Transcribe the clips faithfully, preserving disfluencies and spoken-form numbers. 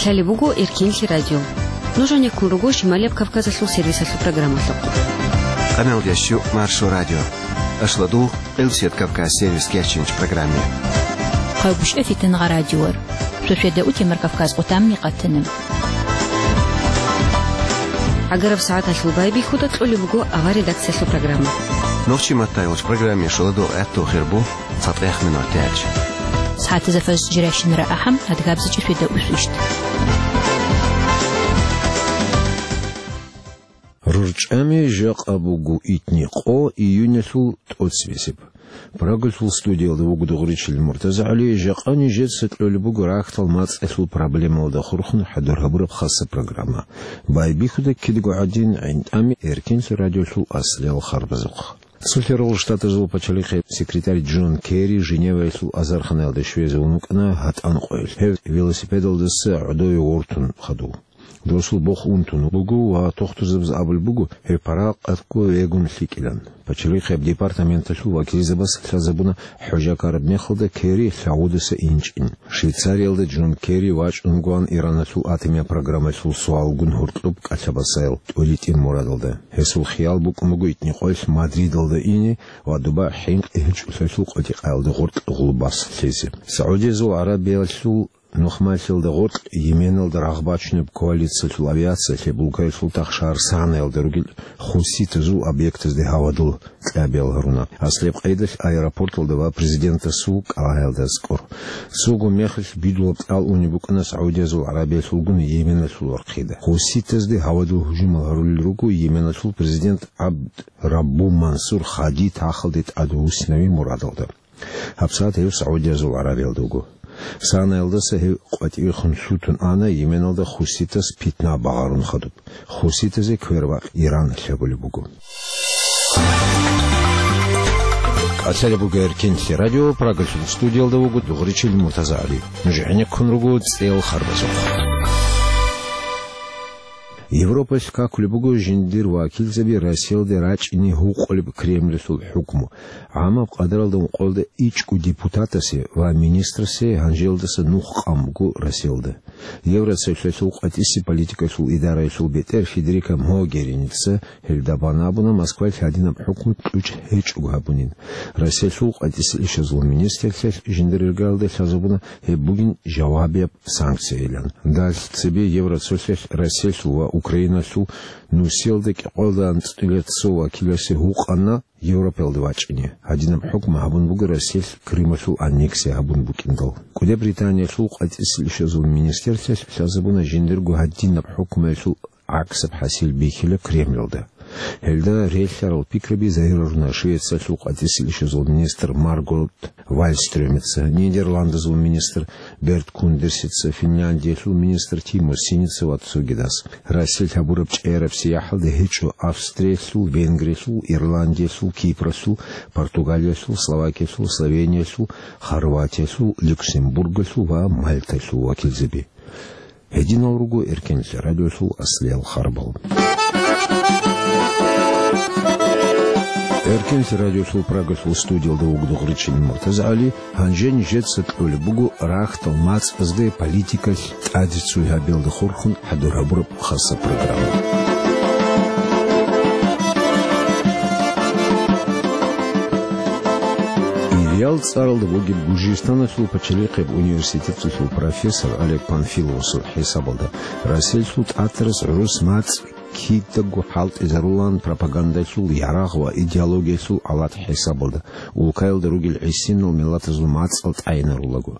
Лъалеб буго Эркинлъи радио. Нуж гьанеккун руго Шималияб Кавказалъул сервисалъул программалъухъ. Къамел ящу Маршо радио. Ашладу Къилсият Кавказ сервис кечинч программе. Къавгушев Фитнагъа радиор. Шошеда утемар Кавказ къутамни къатана. Агараб сагӀаталъул байбихьуда кьолеб буго авар редакциялъул программа. Нохчи маттайгъуч программе шоладу гӀатту хирбу. Цадгъех минутач. СагӀатазда фажр жирайщинара ахӀам, адгабзичӀеб шведа усвищ. РурчӀами жакъа буго итни къо июнялъул тӀоцебесеб. Прагалъул студиялда вуго Дугъричил МуртазагӀали, жакъа нижеца кьолеб буго рахьдал мацӀалъул проблемалда хурхун хӀадур гьабураб хаса программа. Байбихьуда кидаго гӀадин гӀинтӀами Эркинлъи радиолъул аслиял харбазухъ. Цолъарал Штатазул пачалихъе секретарь Джон Керри Женеваялъул азарханаялда щвезе вун вукӀана гьатӀан къоялъ. Гьев велосипедалдаса гӀодове вортун хадув. Досул бох унтун буго ва тохтурзабаз абулеб буго, гьев паракъатго вегун лъикӀилан. Пачалихъеб департаменталъул вакилзабаз лъазабуна хӀужа ккараб мехалда Керри лъагӀудаса инчӀин. Швейцариялда Джон Керри вачӀунгоан Ираналъул атомияб программалъул суалгун гьоркьоб кӀалъабасаял тӀолитӀин мурадалда. Гьесул хиял букӀун буго итни къоялъ Мадридалда ине ва доба хӀинкъи гьечӀолъиялъул къотӀи-къаялда гъоркь гъулбас лъезе. СагӀудиязул ГӀарабиялъул нухмалъиялда гъоркь Йеменалда рагъ бачунеб коалициялъул авиациялъе Булгариялъул тахшагьар Санаялда ругел хуситазул объектазде гьавадул кьабиял гьаруна. Аслияб къайдалъ аэропорталда ва президентасул кӀалгӀаялда аскӀор. Цого мехалъ бидулаб тӀал унеб букӀана СагӀудиязул ГӀарабиялъулгун Йеменалъул вархъида. Хуситазде гьавадул гьужумал гьарулел руго Йеменалъул президент ГӀабд Раббу Мансур Хади тахалде тӀадвуссинави мурадалда. ГьабсагӀат гьев СагӀудиязул ГӀарабиялда вуго. Санаялдаса гьев къватӀивехун лъутун ана, Йеменалда хуситас питна багъарун хадуб. Хуситазе квербакъ Иран лъабулеб буго. КӀалъалеб буго Эркинлъи радио, Прагалъул студиялда вуго Дугъричил МуртазагӀали. Нуж гӀенеккун руго цӀел харбазухъ. Европалъ какулеб буго жиндир вакилзаби Россиялде рачӀине гьукъулеб Кремльалъул хӀукму. ГӀамаб къадаралда ункъоялда ичӀго депутатасе ва министрасе гьанжелдаса нух къан буго Россиялда. Евросоюзалъул къватӀиси политикалъул идараялъул бетӀер Федерика Могеринидаса гьелда бан абуна Москвалъ гьадинаб хӀукму кьучӀ гьечӀого гьабунин. Россиялъул къватӀиса ишазул министрлъиялъ жиндир иргаялда лъазабуна гьеб бугин жавабияб санкциялан. Далъ цебе Евроцолъиялъ Россиялъул ва Украиналъул нусиялда кӀикъоялда анцӀила цо вакиласе гьукъана Европаялда вачӀине. Гьадинаб хӀукму гьабун буго Россиялъ Крымалъул аннексия гьабун букӀиндал. КӀуди Британиялъул къватӀисел ишазул министрлъиялъ лъазабуна жиндирго гьадинаб хӀукмуялъул гӀаксаб хӀасил бихьила Кремльалда. Гьелда релълъарал пикраби загьируна Швециялъул къватӀисел ишазул министр Маргот Вальстрёмица, Нидерландазул министр Берт Кундерсица, Финляндиялъул министр Тимо Синица ва цогидас. Россиялъ гьабураб чӀегӀераб сияхӀалда гьечӀо Австриялъул, Венгриялъул, Ирландиялъул, Кипралъул, Португалиялъул, Словакиялъул, Словениялъул, Хорватиялъул, Люксембургалъул ва Мальталъул вакилзаби. Гьединал руго Эркинлъи радиолъул аслиял харбал. Эркинлъи радиолъул Прагалъул студиялда вуго Дугъричил МуртазагӀали, гьанже нижеца кьолеб буго рахьдал мацӀазде политикалъ тӀаде цой гьабиялда хурхун хӀадур гьабураб хаса программа. Ириял цӀаралда бугеб Гуржистаналъул пачалихъеб университеталъул профессор Олег Панфиловасул хӀисабалда, Россиялъул тӀатарас гӀурус мацӀ кидаго хӀалтӀизарулаан пропагандалъул ярагъ ва идеологиялъул алат хӀисабалда, улкаялда ругел гӀисинал миллатазул мацӀал тӀайинарулаго.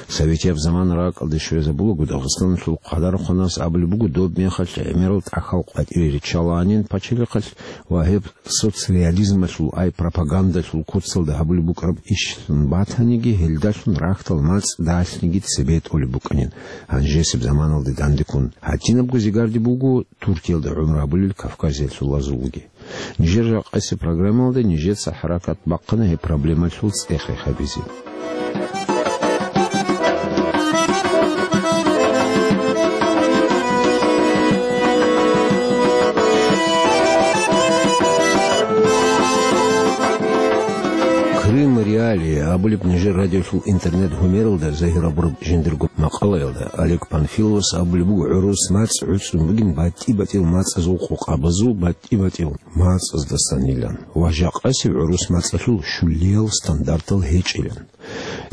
Советияб замана ракӀалде щвезабулаго, Дагъистаналъул къадархъанас абулеб буго, доб мехалъ гӀемерал тӀахьал къватӀире риччалаанин пачалихъалъ ва гьеб соцреализмалъул, ай пропагандалъул куцалда гьабулеб букӀараб ишлъун батаниги, гьелдалъун рахьдал мацӀ далъниги цебетӀолеб букӀанин. Гьанжесеб заманалде дандеккун гьадинабго зигарде буго Туркиялда гӀумру гьабулел кавказиялъул азулги. Нижер жакъасеб программалда нижеца хӀаракат бахъана гьеб проблемалъул цӀех-рех гьабизе. Рим Реалии абулеб нижер радиолъул интернет-гьумералда загьир гьабураб жиндирго макъалаялда Олег Панфиловас абулеб буго, гӀурус мацӀ гӀуцӀун бугин батӀи-батӀиял мацӀазул къокъабазул батӀи-батӀиял мацӀаздасанилан ва жакъасеб гӀурус мацӀалъул щулиял стандартал гьечӀилан.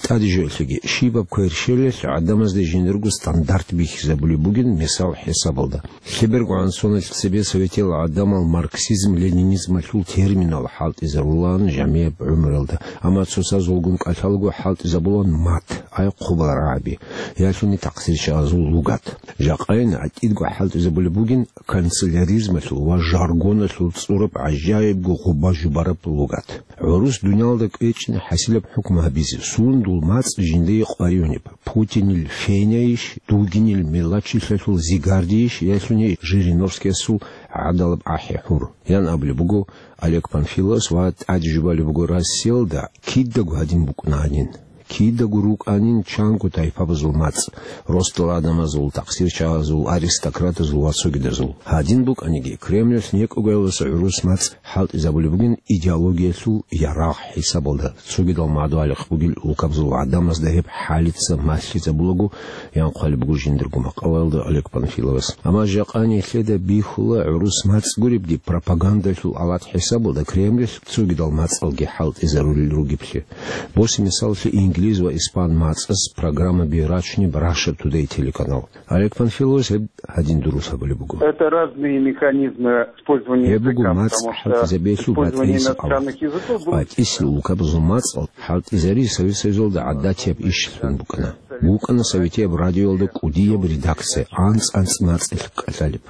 ТӀаде жоялъеги, щибаб кверщелалъ гӀадамазде жиндирго стандарт бихьизабулеб бугин, мисал хӀисабалда. Лъеберго гӀан соналъ цебе советиял гӀадамал марксизм-ленинизмалъул терминал хӀалтӀизарулаан жамияб гӀумруялда, амма цоцазулгун кӀалъалаго хӀалтӀизабулаан мат, ай хъубал рагӀаби, ялъуни такъсирчагӀазул лугат. Жакъайин гӀатӀидго хӀалтӀизабулеб бугин канцеляризмалъул ва жаргоналъул цӀураб гӀажаибго гъуба-жубараб лугат. ГӀурус дуниялда кӀвечӀин хӀасилаб хӀукму гьабизе, сундул мацӀ жиндие къваригӀунеб, Путинил фенайищ, Дугинил мелачилъалъул зигардийищ, ялъуни Жириновскиясул гӀадалаб ахӀи-хӀур, ян абулеб буго Олег Панфиловас ва тӀаде жубалеб буго Россиялда кидаго гьадин букӀунанин. Кидаго рукӀанин чанго тайпабазул мацӀ, росдал гӀадамазул, такъсирчагӀазул, аристократазул ва цогидазул. Гьадин букӀаниги, Кремлалъ некӀогоялдаса гӀурус мацӀ хӀалтӀизабулеб бугин идеологиялъул ярагъ хӀисабалда, цогидал мадугьалихъ бугел улкабазул гӀадамазда гьеб хӀалица малъизабулаго, ян хъвалеб буго жиндирго макъалаялда Олег Панфиловас. Амма жакъа нилъеда бихьула гӀурус мацӀ гуребги пропагандалъул алат хӀисабалда Кремлалъ цогидал мацӀалги хӀалтӀизарулел ругеблъи. Босе мисаллъи инглиз ва испан мацӀаз программаби рачунеб Russia Today телеканал. Олег Панфиловас гьеб гьадин дурус гьабулеб буго. Это разные механизмы использования языка, потому что использование иностранных языков было... Гьеб буго мацӀ хӀалтӀизабиялъул батӀиял алат. БатӀисел улкабазул мацӀал хӀалтӀизари Совет Союзалда гӀадатияб ишалъун букӀана. БукӀана советияб радиоялда кӀудияб редакция, анцӀ-анцӀ мацӀалъ кӀалъалеб.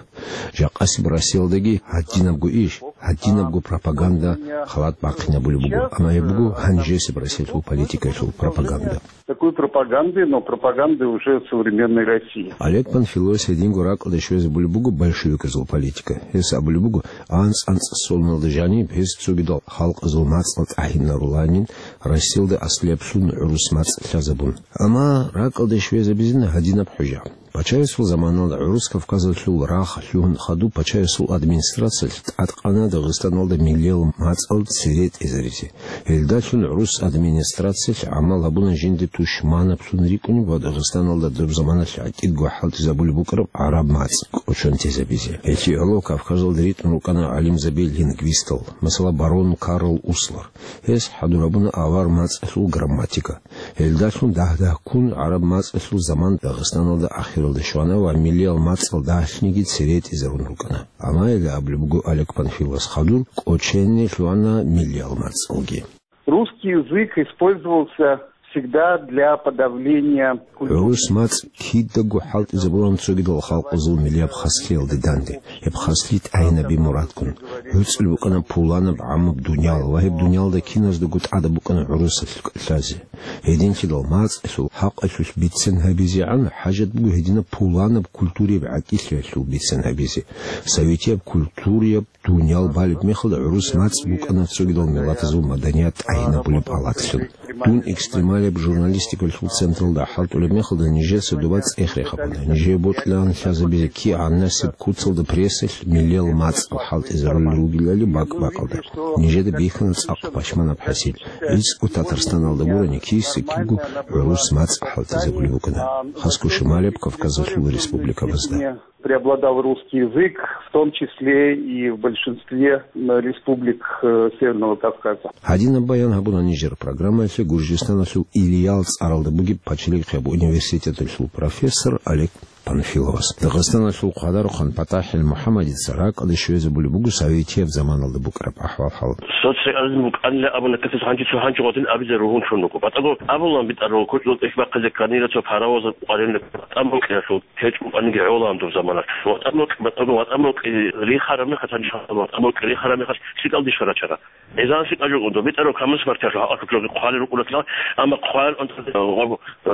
Жакъасеб Россиялдаги гьадинабго иш, гьадинабго пропаганда халат бахъинабулеб буго, амма гьеб буго гьанжесеб Россиялъул политикаялъул пропаганда. Такой пропаганды, но пропаганды уже современной России. Олег Панфиловас гьединго ракӀалде щвезабулеб буго большевиказул политика. Гьес абулеб буго, анцӀ-анцӀ соналда жаниб гьес цогидал халкъазул мацӀал тӀагьинаруланин, Россиялда аслияб лъун гӀурус мацӀ лъазабун. Амма ракӀалде щвезабизина гьадинаб хӀужа. Пачаясул заманалда гӀурус Кавказалъул рагъ лъугьун хадуб пачаясул администрациялъ тӀадкъана Дагъистаналда миллиял мацӀал цере тӀезаризе. Гьелдалъун гӀурус администрациялъ гӀамал гьабуна жинда тушманаблъун рикӀкӀунеб ва Дагъистаналда доб заманалъ гӀатӀидго хӀалтӀизабулеб букӀараб гӀараб мацӀ кӀочон тезабизе. Гьелъие гӀоло Кавказалда ритӀун рукӀана гӀалимзаби-лингвистал, масала, барон Карл Услер. Гьес хӀадур гьабуна авар мацӀалъул грамматика. Гьелдалъун дагь-дагьккун гӀараб мацӀалъул заман Дагъистаналда ахиралде щвана ва миллиял мацӀал дагьлъниги цере тӀезарун рукӀана. Амма гьеле абулеб буго Олег Панфиловас, хадур кӀочене лъугьана миллиял мацӀалги. Русский язык использовался всегда для подавления культуры. ГӀурус мацӀ кидаго хӀалтӀизабулан цогидал халкъазул миллияб хаслъиялде данде. Гьеб хаслъи тӀагьинаби мурадгун. ГӀуцӀул букӀана пуланаб гӀаммаб дуниял ва гьеб дуниялда киназдаго тӀадаб букӀана гӀурусалъ кӀалъазе. Гьединлъидал мацӀалъул хӀакъалъулъ бицен гьабизегӀан хӀажат буго гьединаб пуланаб культурияб гӀатӀилъиялъул бицен гьабизе. Советияб культурияб дуниял балеб мехалда гӀурус мацӀ букӀана цогидал миллатазул маданият тӀагьинабулеб алатлъун. Дун экстремалияб журналистикалъул централда хӀалтӀулеб мехалда нижеца доба цӀех рехабуна. Нижее бокьилаан лъазабизе кигӀанасеб куцалда прессалъ миллиял мацӀал хӀалтӀизарулел ругелали бакӀ-бакӀалда. Нижеда бихьана цӀакъ пашманаб хӀасил. ГӀицӀго Татарстаналда гурони киса-кибго гӀурус мацӀ хӀалтӀизабулеб букӀана. Хасго шималияб Кавказалъул республикабазда. Преобладал русский язык, в том числе и в большинстве, м, республик, э, Северного Кавказа. Гьадинаб баян гьабуна нижер программаялъе Гуржистаналъул Ильял цӀаралда бугеб пачалихъияб университеталъул профессор Олег Панфиловас. Дагъистаналъул хъвадарухъан ПатахӀил МухӀаммадица ракӀалде щвезабулеб буго советияб заманалда букӀараб ахӀвал-хӀал. Социализм букӀанила абуна, катес гьанже цо гьанже гъодин абизе ругьун чӀун руго. БатӀаго абулан битӀарав кучӀдул тӀехь бахъизе кканила цо паровозаб къварилъи ВатӀан букӀиналъул. ГьечӀо, анги гӀолан доб замана. ВатӀан букӀи, батӀаго ВатӀан букӀи рихараб мехалъ, гьанже ВатӀан букӀи рихараб мехалъ, лъикӀал дишха рачара. ГӀезан лъикӀал жо доб битӀарав коммунист партиялъул хӀакъалъулъ жоги хъвалел рукӀунатлъал, амма хъвалел унтазе,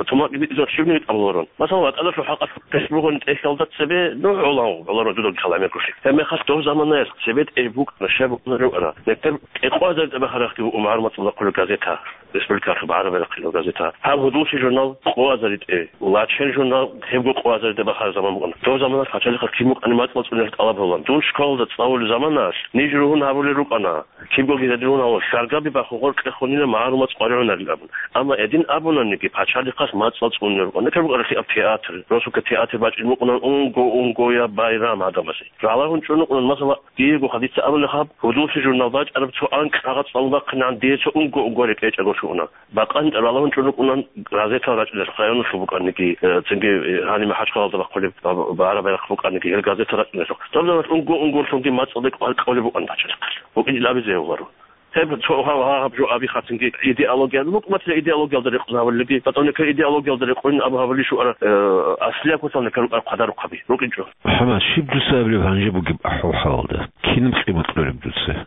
тумакги битӀизаб щибниги тӀамуларун. Масала, ВатӀаналъул хӀакъалъулъ пес бугони тӀехьалда цебе, ну, гӀолан гӀоларун дудал каламеккулъи. Гьеб мехалъ доб заманаялъ цебе тӀе букӀана, щай букӀана рукӀана. Нетер кӀикъоязда тӀабахарахъги букӀун магӀаруматалда хъулеб газета. республикалъул багӀараб байрахъ кьела газета. Гьаб «Гьудуллъи» журнал къо азаритӀе, «Лачен» журнал гьебго къо азаритӀе бахараб заман букӀана. Дов заманалъ пачалихъал кин букӀани мацӀал цӀуниялъ тӀалаб гьабулаан. Дун школалда цӀалулел заманалъ ниж ругьун гьабулел рукӀана, кибгоги гьедин гьавал, хьаргаби бахун гъоркье хунила магӀарул мацӀ къваригӀунарил абун. Амма гьедин абунаниги, пачалихъалъ мацӀал цӀунел рукӀана. Нилъер букӀаралъи аб театр, росулъа театр бачӀин букӀунан унго-унгояб байрам гӀадамазе. Ралагьун чӀун рукӀунан, масала, диего хадица абулеб гьаб, «Гьудуллъи» журнал бачӀараб цо анкьагъа цӀалун бахъинегӀан дие цо унго-унгояб рекӀечӀого щуна. Бакъанин ралагьун чӀун рукӀунан газетал рачӀунелъухъ, районалъул букӀаниги, э, цинги, э, гьаниб МахӀачхъалалда бахъулеб ба-, багӀараб байрахъ букӀаниги, гьел газетал рачӀунелъухъ. Доб заманалъ унго-унгоялъунги мацӀалде къваркьулеб букӀана пачалихъалъ. БукӀинчӀел абизе гьавуларо. Гьеб цо гьав-, гьав-, гьаб жо аби хъатинги идеология, хӀукуматила идеологиялда рекъон гьавулелги, батӀа нилъер идеологиялда рекъон абу гьавулищ вара, э, аслияб куцал нилъер рукӀараб хъвадарухъаби рукӀинчӀо. МухӀаммад, щиб дуца абилеб гьанже бугеб ахӀвал-хӀалалда? Кинаб къимат кьолеб дуца?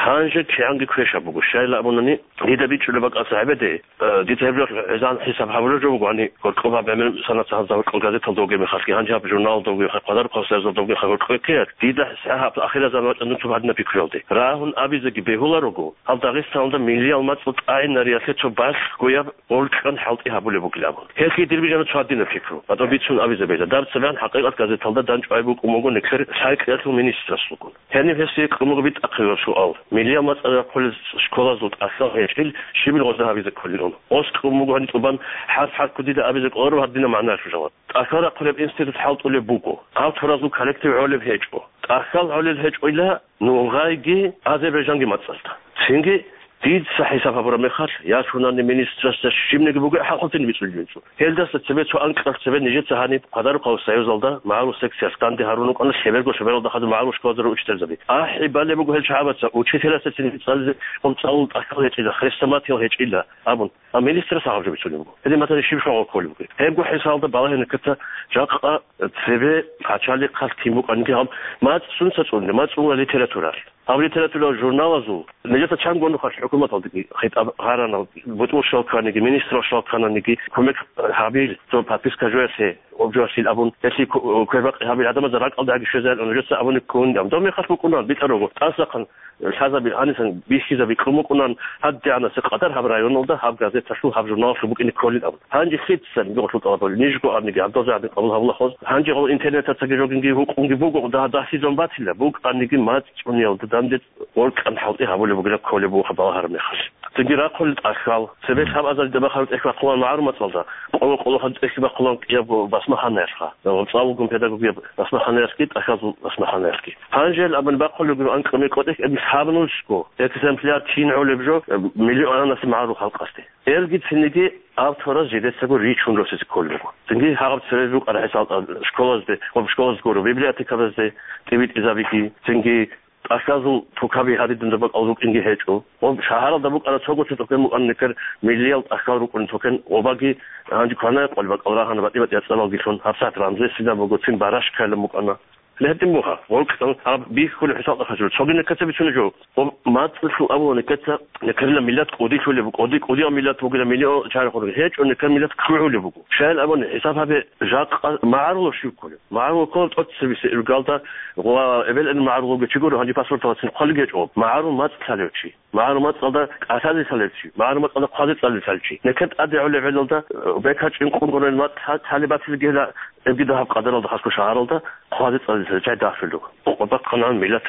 Гьанже кигӀанги квешаб буго. Щайила абунани, дида бичӀчӀулеб бакӀалъа гьабизе, э, дица гьеб жо гӀезегӀан хӀисаб гьабулеб жо буго, гьаниб гьоркьоб гьаб гӀемер санат гьаб гьоркьоб газеталда вугеб мехалъги, гьанже гьаб журналалда вугеб мехалъ, хъвадарухъ гьаб союзалда вугеб мехалъ гьоркьоб ккеялъ, дида гьаб ахирзаман вачӀан дун цо гьадинаб пикруялде. Рагьун абизеги бегьуларого, гьаб Дагъистаналда миллиял мацӀал тӀагӀинариялъе цо балъгояб гъоркьан хӀалтӀи гьабулеб бугилан абун. Гьелъие дир бижана цо гьадинаб пикру. БатӀа бицун абизе бегьила. Даб цебегӀан ХӀакъикъат газеталда дандчӀвай букӀун буго нилъер лъай-кьеялъул министралъулгун. Гьениб гьесие кьун буго битӀахъе гьаб суал. Миллиял мацӀал рахъулел школазул тӀахьал гьечӀил щибил гъозда гьабизе кколин ун. Гъос кьун буго гьаниб тӀубан, хӀарп-хӀарпго дида абизе кӀоларо гьадинаб магӀнаялъул жаваб. ТӀахьал рахъулеб институт хӀалтӀулеб буго. Гьаб торазул коллектив гӀолеб гьечӀо. ТӀахьал гӀолел гьечӀойила нугъайги Азербайджанги мацӀалда. Цинги дица хӀисаб гьабураб мехалъ, я шунани министрасда щибниги буго хӀалхутин бицӀулеб жо. Гьелдаса цебе цо анкьалъ цебе нижеца гьаниб хъвадарухъ гьав союзалда магӀарул секциялъ данде гьарун рукӀана, лъеберго-лъебералда хадур магӀарул школазда учительзаби. АхӀи балеб буго гьел чагӀазда, учителасда цин цӀализе, цӀалул тӀахьал гьечӀила, хрестоматиял гьечӀила абун. А министрас гьаб жо бицунеб буго. Гьедин батани щиб щвагъул кколеб бугеб? Гьебго хӀисалда балагьине ккеца, жакъа цебе пачалихъалъ кин букӀаниги гьаб, мацӀ сунца цӀуне, мацӀ цӀуна литературалъ. Гьаб литературал журналазул нижеца чанго нухалъ хӀукуматалдаги хитӀаб гьарана, бутӀрул щвал кканиги, министрал щвал ккананиги, кумек гьабил, цо подписка жоялъе, обжоялъил абун, гьелъие ку-, квербакъи гьабил гӀадамазда ракӀалда гьаги щвезарилан нужеца абуни ккун. Доб мехалъ букӀуна битӀарого, тӀасахъан лъазаби гьанисан бихьизаби кьун букӀунан, гьадигӀанасеб къадар гьаб районалда гьаб газеталъул, гьаб журналалъул букӀине кколин абун. Гьанже лъицани гьоркьул тӀалабали, нижго абниги, гьаб дозе гьадин къабул гьабулахъоз. Гьанже гьал интернетацаги жогинги гьукъунги буго, дагь-, дагьлъизун батила, букӀаниги мацӀ цӀуниялда данде гъоркьан хӀалтӀи гьабулеб бугила кколеб буго хаб балагьараб мехалъ. Цинги рахъулел тӀахьал, цебе лъабазаридаб бахараб тӀехь бахъулан магӀарул мацӀалда, къо-, къолохъан тӀехь бахъулан кӀиябго басмаханаялъха. ЦӀалулгун педагогияб басмаханаялъги, тӀахьазул басмаханаялъги. Гьанжел абун бахъулеб буго анкьа мекъо тӀехь, гьеб лъабанулсго экземпляр кин гӀолеб жо, миллионасе магӀарул халкъалъе. Гьелги цинги автораз жидецаго ричун росизе кколеб буго. Цинги гьаб цебе букӀараб хӀисал школазде, гьоб школазде гуро, библиотекабазде тӀибитӀизабиги, цинги тӀахьазул тукаби гьадин дунда бакӀал рукӀинги гьечӀо. Гьоб шагьаралда букӀана цого цо тукан букӀана, нилъер миллиял тӀахьал рукӀун тукан, гьобаги гьанже кванаякъал бакӀал рагьана, батӀи-батӀи яцӀалалгилъун, гьабсагӀат Рамзесида буго, цин Барашкайилан букӀана. Гьедин буго, гъоркьан гьаб бихьулеб хӀисалда хъачӀур. Цоги некеца бицунеб жо. Гьоб мацӀалъул абула некеца, некерила миллат кӀудияб лъулеб буго, кӀуди-, кӀудияв миллат бугила, миллион чагӀи гьечӀо, некер миллат ккугӀулеб буго. Щайин абуни, хӀисаб гьабе, жакъа магӀарулав щив кколев? МагӀарул ккола тӀоцебесеб иргалда ва эбел-эмен магӀарулав вугев чи гуро, гьанже паспорталдасан хъвалеб гьечӀо. МагӀарул мацӀ лъалев чи. МагӀарул мацӀалда кӀалъазе лъалев чи. МагӀарул мацӀалда хъвазе цӀализе лъалев чи. Некер тӀаде гӀолеб гӀелалда, э, бекачӀин къунгурел мацӀ лъа-, лъалеб батилгела, эбги дагьаб къадаралда хасго шагьаралда хъвазе цӀализе лъалев чи дагьлъулев. Къо-, къо бахъана миллат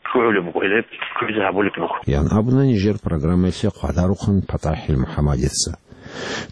ккугӀулеб буго, гьеле кквезе гьабулеб буго. Ян абуна нижер программаялъе хъвадарухъан ПатӀахӀил МухӀаммадица.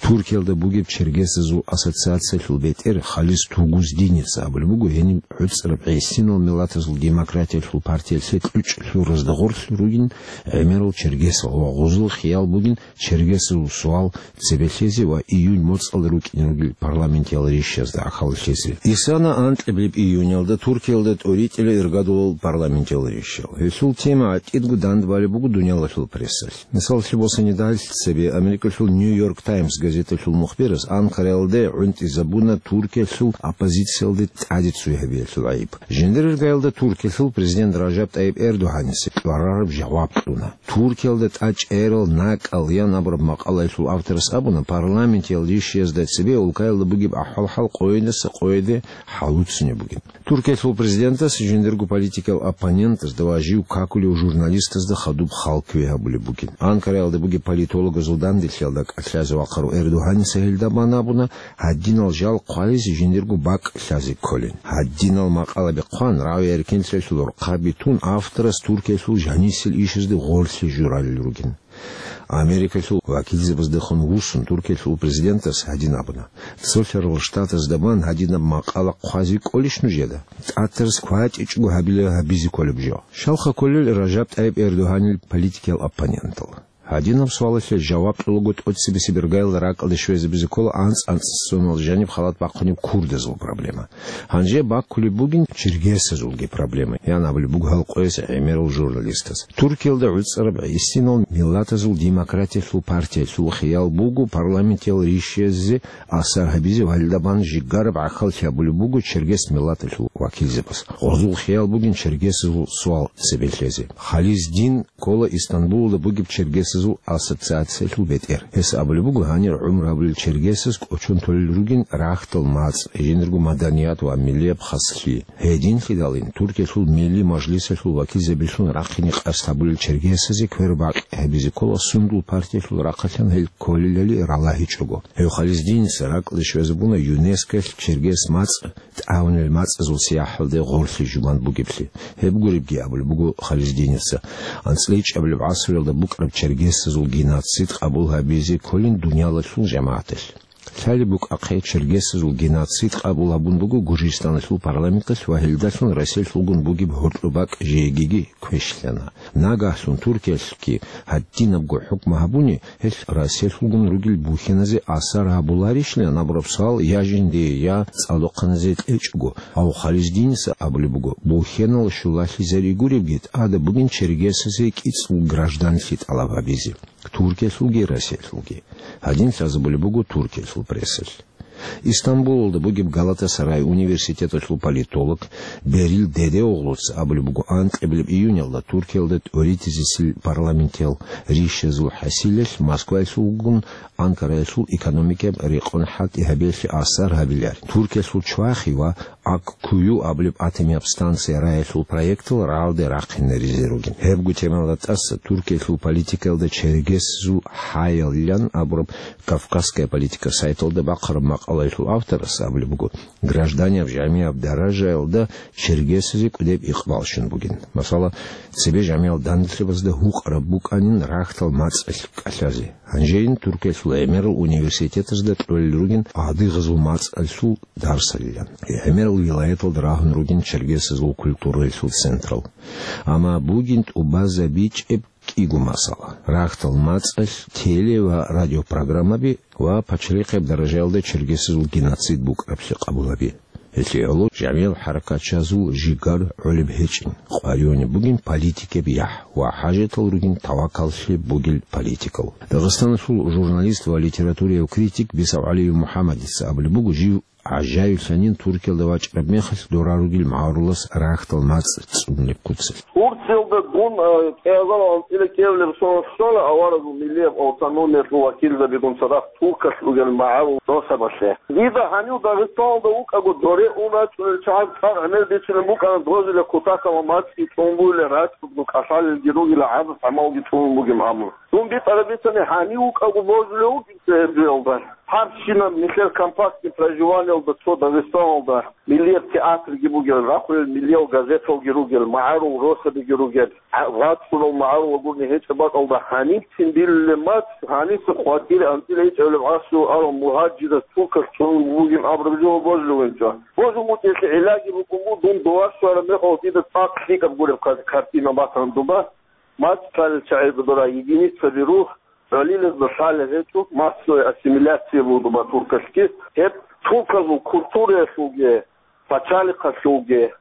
Туркиялда бугеб чергесазул ассоциациялъул бетӀер Халис Тугуздинец абулеб буго, гьениб гӀуцӀараб гӀисинал миллатазул демократиялъул партиялъе кьучӀлъуразда гъорлъ ругин гӀемерал чергесал ва гъозул хиял бугин чергесазул суал цебе лъезе ва июнь моцӀалда рукӀине ругел парламентиял ришазда гӀахьаллъизе. Исана анкьабилеб июнялда Туркиялда тӀоритӀила иргадулал парламентиял ришал. Гьелъул тема гӀатӀидго дандбалеб буго дуниялалъул прессалъ. Мисаллъи босани, дагьлъ цебе Америкалъул Нью-Йорк «Таймс» газеталъул мухбирас Анкараялде гӀунтӀизабуна Туркиялъул оппозициялде тӀаде цой гьабиялъул гӀайиб. Жиндир иргаялда Туркиялъул президент Ражаб ТӀайиб Эрдогьаница тӀварараб жаваб кьуна. «Туркиялда тӀачӀерал накӀкӀал» ян абураб макъалаялъул авторас абуна, парламентиял ришиязда цебе улкаялда бугеб ахӀвал-хӀал къойидаса къойиде хӀалуцунеб бугин. Туркиялъул президентас жиндирго политикиял оппонентазда ва жив какулев журналистазда хадуб хал кквей гьабулеб бугин. Анкараялда бугеб политологазул данделъиялда кӀалъазе вахъарав Эрдогьаница гьелда бан абуна, гьадинал жал хъвализе жиндирго бакӀ лъазе кколин. Гьадинал макъалаби хъван, рагӀи-эркинлъиялъул рахъаби тун, авторас Туркиялъул жанисел ишазде гъорлъе журалел ругин. Америкалъул вакилзабаздехун вуссун, Туркиялъул президентас гьадин абуна: «Цолъарал Штатазда бан гьадинаб макъала хъвазе кӀолищ нужеда? ТӀатарас кватӀичӀого гьабила гьабизе кколеб жо». Щалха кколел Ражаб ТӀайиб Эрдогьанил политикиял оппонентал? Гьадинаб суалалъе жаваб кьолаго тӀоцебесеб иргаялда ракӀалде щвезабизе ккола анцӀ-анцӀцӀунал жаниб халат бахъунеб курдазул проблема. Гьанже баккулеб бугин чергесазулги проблема, ян абулеб буго гьал къояс гӀемерал журналистас. Туркиялда гӀуцӀараб гӀисинал миллатазул демократиялъул партиялъул хиял буго парламентиял ришиязде асар гьабизе ва гьелда бан жигараб гӀахьаллъи гьабулеб буго чергес миллаталъул вакилзабаз. Гъозул хиял бугин чергесазул суал цебе лъезе. Хализдин ккола Истанбулалда бугеб чергесазул ассоциациялъул бетӀер. Гьес абулеб буго, гьанир гӀумру гьабулел чергесаз кӀочон толел ругин рагьтал мацӀ, жиндирго маданият ва миллияб хаслъи. Гьединлъидалин Туркиялъул Милли мажлисалъул вакилзабилъун рахъине къасд гьабулел чергесазе квербакъи гьабизе ккола сундул партиялъул рахъалъан гьел кколелали ралагьичӀого. Гьев Хализдиница ракӀалде щвезабуна ЮНЕСКОялъ чергес мацӀ тӀагӀунел мацӀазул сияхӀалде гъорлъе жубан бугеблъи. Гьеб гуребги абулеб буго Хализдиница, анцӀила ичӀабилеб гӀасруялда букӀараб чергесазул геноцид къабул гьабизе кколин дуниялалъул жамагӀаталъ. Лъалеб букӀахъе, чергесазул геноцид къабул гьабун буго Гуржистаналъул парламенталъ ва гьелдалъун Россиялъулгун бугеб гьоркьоб бакӀ жегиги квешлъана. Нагагьлъун Туркиялъги гьадинабго хӀукму гьабуни, гьелъ Россиялъулгун ругел бухьиназе асар гьабуларищилан абураб суал я жиндие, я цӀадухъаназе кьечӀого. Гьав Хализдиница абулеб буго, бухьинал щулалъизари гуребги, тӀада бугин чергесазе кӀицӀул гражданлъи тӀалаб гьабизе, Туркиялъулги Россиялъулги. Гьадин лъазабулеб буго Туркиялъул прессалъ. Истанбулалда бугеб Галатасарай университеталъул политолог Берил Дедеоглуца абулеб буго, анкьабилеб июнялда Туркиялда тӀоритӀизесил парламентиял ришазул хӀасилалъ Москваялъулгун Анкараялъул экономикаяб рекъон хӀалтӀи гьабиялъе асар гьабиларин. Туркиялъул чвахи ва Аккую абулеб атомияб станция раялъул проектал рагӀалде рахъинаризе ругин. Гьебго темалда тӀаса Туркиялъул политикаялда чергесазул хӀаялилан абураб «Кавказская политика» сайталда бахъараб макъалаялъул авторас абулеб буго, гражданияб жамияб даражаялда чергесазе кӀудеб икъбал щун бугин. Масала, цебе жамиял данделъабазда гьукъараб букӀанин рагьтал мацӀалъ кӀалъазе. Гьанжейин Туркиялъул гӀемерал университетазда кьолел ругин адыгъазул мацӀалъул дарсалилан. ГӀемерал вилаяталда рагьун ругин чергесазул культураялъул централ. Амма бугин тӀубазабичӀеб кӀиго масала: рагьтал мацӀалъ теле- ва радиопрограммаби ва пачалихъияб даражаялда чергесазул геноцид букӀараблъи къабул гьаби. Гьелъие гӀоло жамиял хӀаракатчазул жигар гӀолеб гьечӀин, къваригӀунеб бугин политикияб яхӀ ва хӀажатал ругин тавакаллъи бугел политикал. Дагъистаналъул журналист ва литературияв критик БисавгӀалиев МухӀаммадица абулеб буго, жив гӀажаиблъанин Туркиялда вачӀараб мехалъ дора ругел магӀарулас рагьтал мацӀ цӀунулеб куцалъ. Турциялда дун, э, кӀиазал анцӀила кӀиабилеб соналъ щвана аварагул миллияб автономиялъул вакилзабигун цадахъ туркалъ ругел магӀарул росабалъе. Дида гьанив Дагъистаналда вукӀаго доре ун рачӀунел чагӀаз цӀакъ гӀемер бицунеб букӀана дозулеб кутакалда мацӀги цӀун бугел, рачӀунго кӀалъалелги ругел, гӀарац гӀамалги цӀунун бугеб абун. Дун битӀараб бицани, гьанив вукӀаго божулев вугин цебе гьеб жоялда. Гьаб щинаб нилъер компактный проживаниялда цо Дагъистаналда миллияб театрги бугел, рахъулел миллиял газеталги ругел, магӀарул росабиги ругел, гӀа-, рацӀцӀунал магӀарул гурни гьечӀеб бакӀалда гьанибцин билулеб мацӀ, гьаниса хватире анцӀила гьечӀебилеб гӀасру арал мугьажирас туркалъ цӀунун бугин абураб жо божулев вугин. Божун букӀиналъе гӀиллаги букӀун буго, дун дова щвараб мехалъ дида цӀакъ лъикӀаб гуреб кар-, картина батана дуба. МацӀ лъалел чагӀи гурила, единицаби рух, гӀолилазда лъалел гьечӀо, массовая ассимиляция буго дуба туркалъги. Гьеб турказул культураялъулги, пачалихъалъулги,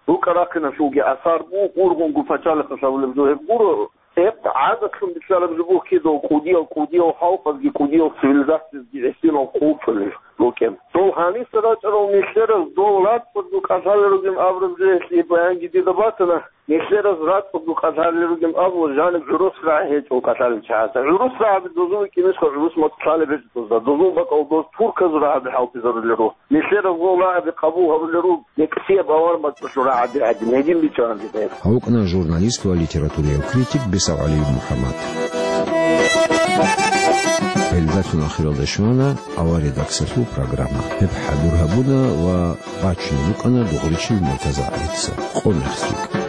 рукӀа-рахъиналъулги асар буго, ургъунгун пачалихъалъ гьабулеб жо гьеб гуро. Гьеб гӀадатлъун бицараб жо буго кидал кӀудиял, кӀудиял халкъазги, кӀудиял цивилизациязги гӀисинал хъулчӀулел рукӀин. Дол гьаниса рачӀарал нилъераз дол рацӀцӀадго кӀалъалел ругин абураб жо гьелъие баянги дида батана. Нилъераз рацӀцӀадго кӀалъалел ругин абула, жаниб гӀурус рагӀи гьечӀо кӀалъалел чагӀазда. ГӀурус рагӀаби дозул рукӀинищха, гӀурус мацӀ лъалеб гьечӀо, дозда, дозул бакӀал доз турказул рагӀаби хӀалтӀизарулел руго. Нилъераз гъов рагӀаби къабул гьабулел руго, некӀсияб авар мацӀалъул рагӀаби гӀадин, гьедин бичӀчӀаран дидайб. Гьукъна журналист ва литературияв критик БесагӀалиев МухӀаммад. Гьелдалъун ахиралда щвана авария даксалъул программа. Гьеб хӀадур гьабуна ва бачун букӀана Дугъричил Муртазагьица. Къо мехсукь.